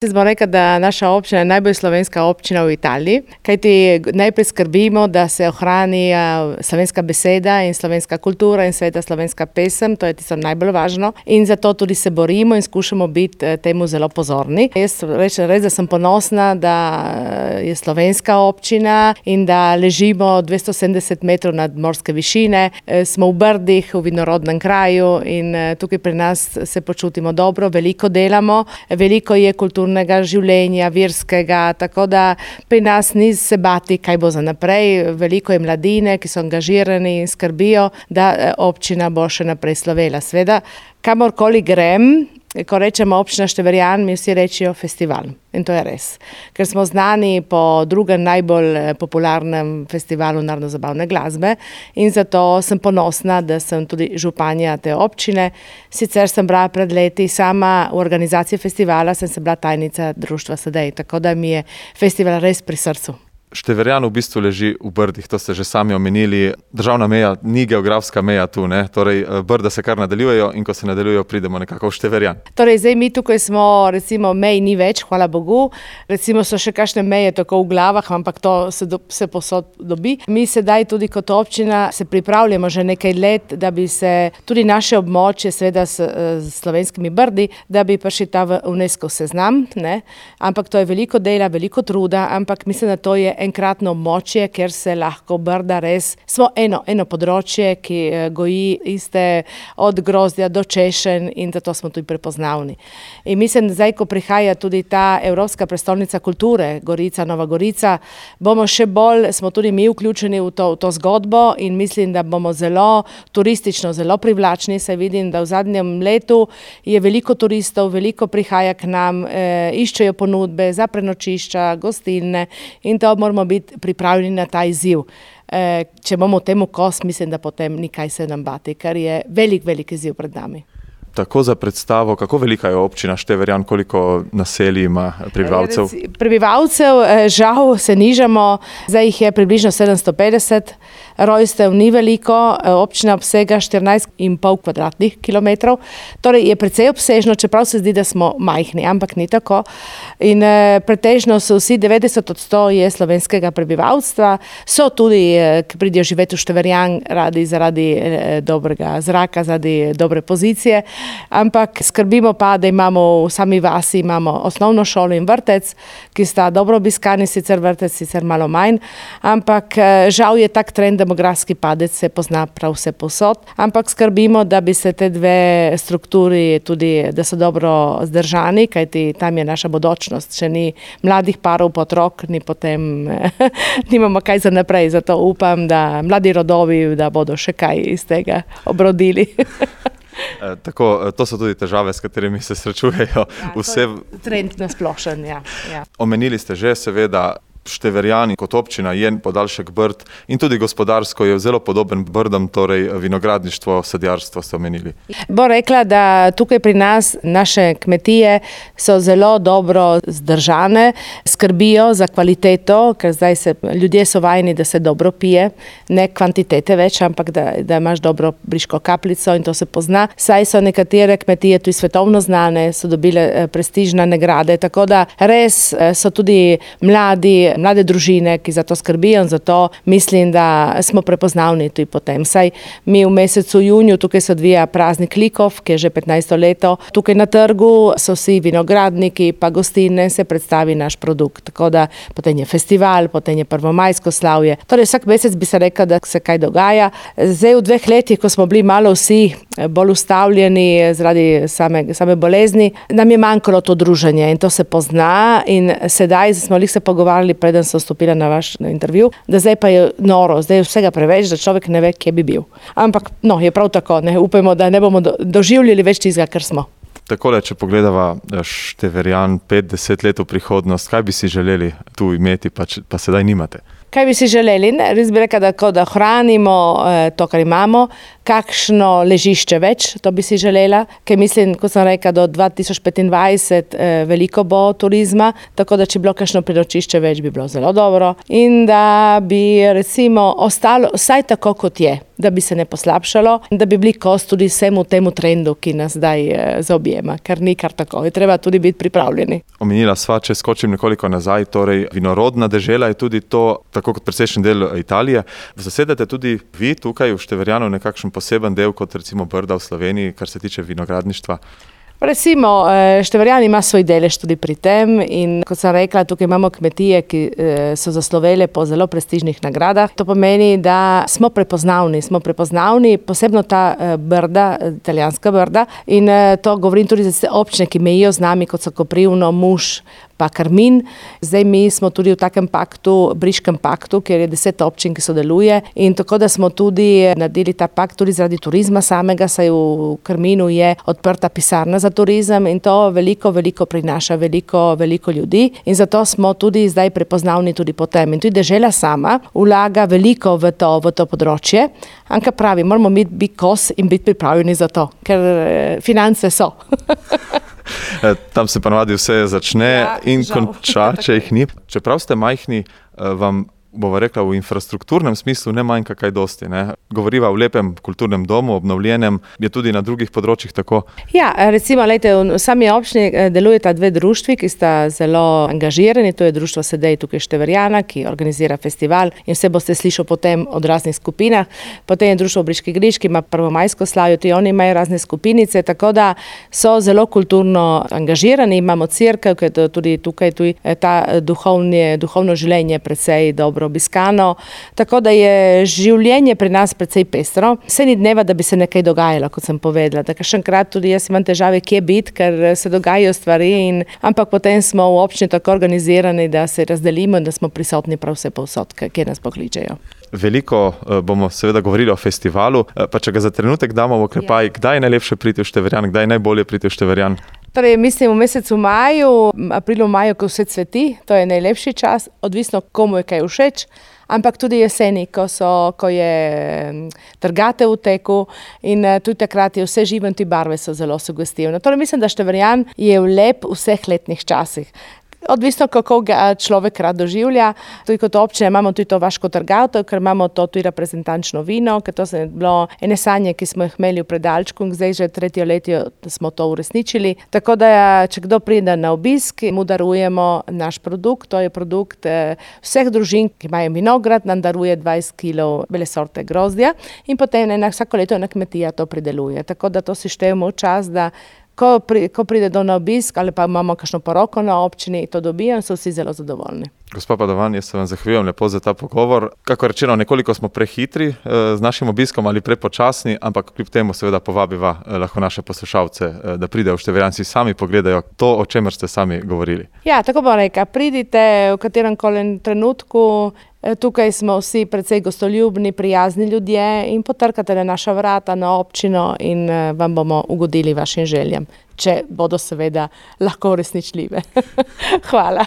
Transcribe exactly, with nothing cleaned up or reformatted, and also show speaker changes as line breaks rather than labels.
Smo rekli, da naša občina je najbolj slovenska občina v Italiji, kajti najprej skrbimo, da se ohrani slovenska beseda in slovenska kultura in sveta slovenska pesem, to je tisto najbolj važno in zato tudi se borimo in skušamo biti temu zelo pozorni. Jaz rečem res, da sem ponosna, da je slovenska občina in da ležimo dvesto sedemdeset metrov nad morske višine, smo v Brdih, v vinorodnem kraju in tukaj pri nas se počutimo dobro, veliko delamo, veliko je kulturno življenja, verskega, tako da pri nas ni se bati, kaj bo za naprej. Veliko je mladine, ki so angažirani in skrbijo, da občina bo še naprej slovela. Sveda, kamorkoli grem, ko rečemo občina Števerjan, mi vsi rečijo festival. In to je res. Ker smo znani po drugem najbolj popularnem festivalu narodno-zabavne glasbe in zato sem ponosna, da sem tudi županja te občine. Sicer sem bila pred leti sama v organizaciji festivala, sem se bila tajnica društva Sedej, tako da mi je festival res pri srcu.
Števerjan v bistvu leži v Brdih, to ste že sami omenili. Državna meja ni geografska meja tu, ne? Torej Brda se kar nadaljujejo in ko se nadaljujejo, pridemo nekako v Števerjan.
Torej zdaj mi tukaj smo, recimo mej ni več, hvala Bogu, recimo so še kakšne meje tako v glavah, ampak to se, do, se posod dobi. Mi sedaj tudi kot občina se pripravljamo že nekaj let, da bi se tudi naše območje, seveda s, s slovenskimi Brdi, da bi prišli ta v UNESCO seznam, ne? Ampak to je veliko dela, veliko truda, ampak mislim, da to je enkratno območje, ker se lahko Brda res, smo eno, eno področje, ki goji iste od grozdja do češenj in zato smo tudi prepoznavni. In mislim, da zdaj, ko prihaja tudi ta Evropska prestolnica kulture, Gorica, Nova Gorica, bomo še bolj, smo tudi mi vključeni v to, v to zgodbo in mislim, da bomo zelo turistično, zelo privlačni. Se vidim, da v zadnjem letu je veliko turistov, veliko prihaja k nam, e, iščejo ponudbe za prenočišča, gostilne in to moramo biti pripravljeni na ta izziv. E, če bomo temu kos, mislim, da potem ni kaj se nam bati, ker je velik, velik izziv pred nami.
Tako za predstavo, kako velika je občina Števerjan, koliko naselij ima prebivalcev?
Prebivalcev žal se nižamo, zdaj jih je približno sedemsto petdeset, rojstev ni veliko, občina obsega štirinajst in pol kvadratnih kilometrov, torej je precej obsežno, čeprav se zdi, da smo majhni, ampak ni tako. In pretežno so vsi devetdeset odstotkov je slovenskega prebivalstva, so tudi, ki pridejo živeti v Števerjan radi zaradi dobrega zraka, zaradi dobre pozicije, ampak skrbimo pa, da imamo v sami vasi imamo osnovno šolo in vrtec, ki sta dobro obiskani, sicer vrtec, sicer malo manj, ampak žal je tak trend, demografski padec se pozna prav vse posod, ampak skrbimo, da bi se te dve strukturi tudi, da so dobro zdržani, kajti tam je naša bodočnost, če ni mladih parov, potrok, ni potem, nimamo kaj za naprej, zato upam, da mladi rodovi, da bodo še kaj iz tega obrodili.
E, tako, to so tudi težave, s katerimi se srečujejo.
Ja,
vse...
Trend nasplošen, ja, ja.
Omenili ste že, seveda, Števerjan kot občina je podaljšek Brd in tudi gospodarsko je zelo podoben Brdam, torej vinogradništvo, sadjarstvo ste omenili. Bo
rekla, da tukaj pri nas naše kmetije so zelo dobro zdržane, skrbijo za kvaliteto, ker zdaj se ljudje so vajeni, da se dobro pije, ne kvantitete več, ampak da, da imaš dobro briško kapljico in to se pozna. Saj so nekatere kmetije tudi svetovno znane, so dobile prestižne nagrade, tako da res so tudi mladi, mlade družine, ki za to skrbijo in zato mislim, da smo prepoznavni tudi potem. Saj mi v mesecu juniju tukaj se odvija praznik likov, ki je že petnajsto leto. Tukaj na trgu so vsi vinogradniki pa gostilne, se predstavi naš produkt. Tako da potem je festival, potem je prvomajsko slavje. Torej vsak mesec bi se rekel, da se kaj dogaja. Zdaj v dveh letih, ko smo bili malo vsi bolj ustavljeni zaradi same, same bolezni, nam je manjkalo to druženje in to se pozna in sedaj smo lih se pogovarjali, preden sem stopila na vaš intervju, da zdaj pa je noro, zdaj je vsega preveč, da človek ne ve, kje bi bil. Ampak, no, je prav tako, ne, upajmo, da ne bomo do, doživljali več tistega, kar smo.
Takole, če pogledava Števerjan pet, deset let v prihodnost, kaj bi si želeli tu imeti, pa, pa sedaj nimate?
Kaj bi si želeli? Ne, res bi rekla, da, da hranimo eh, to, kar imamo, kakšno ležišče več, to bi si želela, ker mislim, kot sem rekla, do dva tisoč petindvajset eh, veliko bo turizma, tako da če bi bilo kakšno prenočišče več, bi bilo zelo dobro in da bi recimo ostalo vsaj tako, kot je, da bi se ne poslabšalo, da bi bili kos tudi vsemu temu trendu, ki nas zdaj eh, zaobjema, ker ni kar tako, je treba tudi biti pripravljeni.
Omenila sva, če skočim nekoliko nazaj, torej vinorodna dežela je tudi to, tako kot precejšen del Italije. Zasedate tudi vi tukaj v Števerjanu nekakšen poseben del, kot recimo Brda v Sloveniji, kar se tiče vinogradništva?
Recimo, Števerjan ima svoj delež tudi pri tem in kot sem rekla, tukaj imamo kmetije, ki so zaslovele po zelo prestižnih nagradah. To pomeni, da smo prepoznavni, smo prepoznavni, posebno ta Brda, italijanska Brda in to govorim tudi za občine, ki mejijo z nami, kot so Koprivno, Muš, pa Karmin. Zdaj mi smo tudi v takem paktu, Briškem paktu, kjer je deset občin, ki sodeluje in tako da smo tudi naredili ta pakt tudi zaradi turizma samega, saj v Karminu je odprta pisarna za turizem in to veliko, veliko prinaša, veliko, veliko ljudi in zato smo tudi zdaj prepoznavni tudi po tem. In tudi dežela sama vlaga veliko v to, v to področje, ampak pravi, moramo biti kos in biti pripravljeni za to, ker finance so.
Tam se pa navadi vse začne ja, in žal. Konča, če jih ni. Čeprav ste majhni, vam bova rekla, v infrastrukturnem smislu ne manjka kaj dosti. Ne? Govoriva v lepem kulturnem domu, obnovljenem, je tudi na drugih področjih tako?
Ja, recimo, lejte, v sami občini delujeta dve društvi, ki sta zelo angažirani, to je društvo Sedej tukaj Števerjana, ki organizira festival in vse boste slišali potem od raznih skupinah. Potem je društvo Briški griž, ki ima prvomajsko slavje, tudi oni imajo razne skupinice, tako da so zelo kulturno angažirani, imamo cerkev, ki je tudi tukaj, tudi ta duhovni, duhovno življenje precej dobro obiskano, tako da je življenje pri nas precej pestro. Vse ni dneva, da bi se nekaj dogajalo, kot sem povedala. Tako kakšenkrat tudi jaz imam težave, kje biti, ker se dogajajo stvari, in, ampak potem smo v občini tako organizirani, da se razdelimo in da smo prisotni prav vse povsod, kje nas pokličejo.
Veliko bomo seveda govorili o festivalu, pa če ga za trenutek damo v oklepaj, ja. Kdaj je najlepše priti v Števerjan, kdaj je najbolje priti v Števerjan?
Torej, mislim v mesecu maju, aprilu, maju, ko vse cveti, to je najlepši čas, odvisno komu je kaj všeč, ampak tudi jeseni, ko, so, ko je trgatev v teku in tudi takrat je vse živo in ti barve so zelo sugestivne. Torej, mislim, da Števerjan je lep v vseh letnih časih. Odvisno, kako ga človek rad doživlja. Tudi kot občina imamo tudi to vaško trgatev, ker imamo to tudi reprezentančno vino, ker to je bilo ene sanje, ki smo jih imeli v predalčku in zdaj že tretje letje smo to uresničili. Tako da, če kdo pride na obisk, mu darujemo naš produkt, to je produkt vseh družin, ki imajo vinograd, nam daruje dvajset kilov bele sorte grozdja in potem ena, vsako leto ena kmetija to prideluje. Tako da to si štejemo v čas, da Ko, pri, ko pride do na obisk ali pa imamo kakšno poroko na občini, to dobijo in so vsi zelo zadovoljni.
Gospa Padovan, jaz se vam zahvaljujem lepo za ta pogovor. Kako rečeno, nekoliko smo prehitri eh, z našim obiskom ali prepočasni, ampak kljub temu seveda povabiva eh, lahko naše poslušalce, eh, da pridejo v Števerjan, si sami pogledajo to, o čemer ste sami govorili. Ja,
tako bom rekla, pridite v katerem koli trenutku. Tukaj smo vsi precej gostoljubni, prijazni ljudje in potrkate na naša vrata, na občino in vam bomo ugodili vašim željam, če bodo seveda lahko uresničljive. Hvala.